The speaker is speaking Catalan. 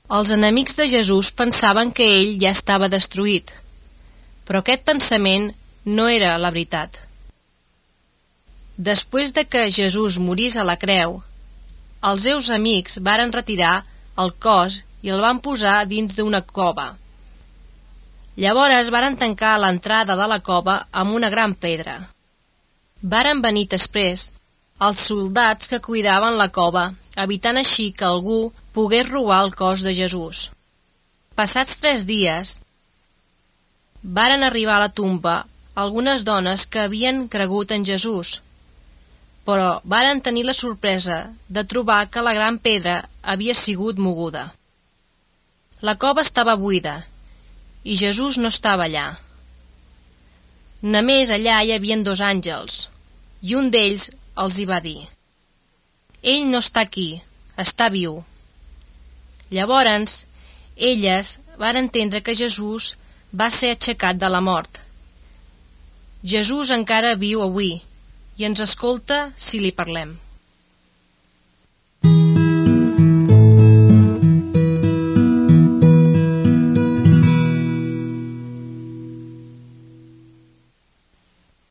Els enemics de Jesús pensaven que ell ja estava destruït, però aquest pensament no era la veritat. Després de que Jesús morís a la creu, els seus amics varen retirar el cos i el van posar dins d'una cova. Llavors varen tancar l'entrada de la cova amb una gran pedra. Varen venir després els soldats que cuidaven la cova, evitant així que algú pogués robar el cos de Jesús. Passats 3 dies, varen arribar a la tomba algunes dones que havien cregut en Jesús, però varen tenir la sorpresa de trobar que la gran pedra havia sigut moguda. La cova estava buida i Jesús no estava allà. Només allà hi havia 2 àngels, i un d'ells els hi va dir: «Ell no està aquí, està viu». Llavors, elles van entendre que Jesús va ser aixecat de la mort. Jesús encara viu avui i ens escolta si li parlem.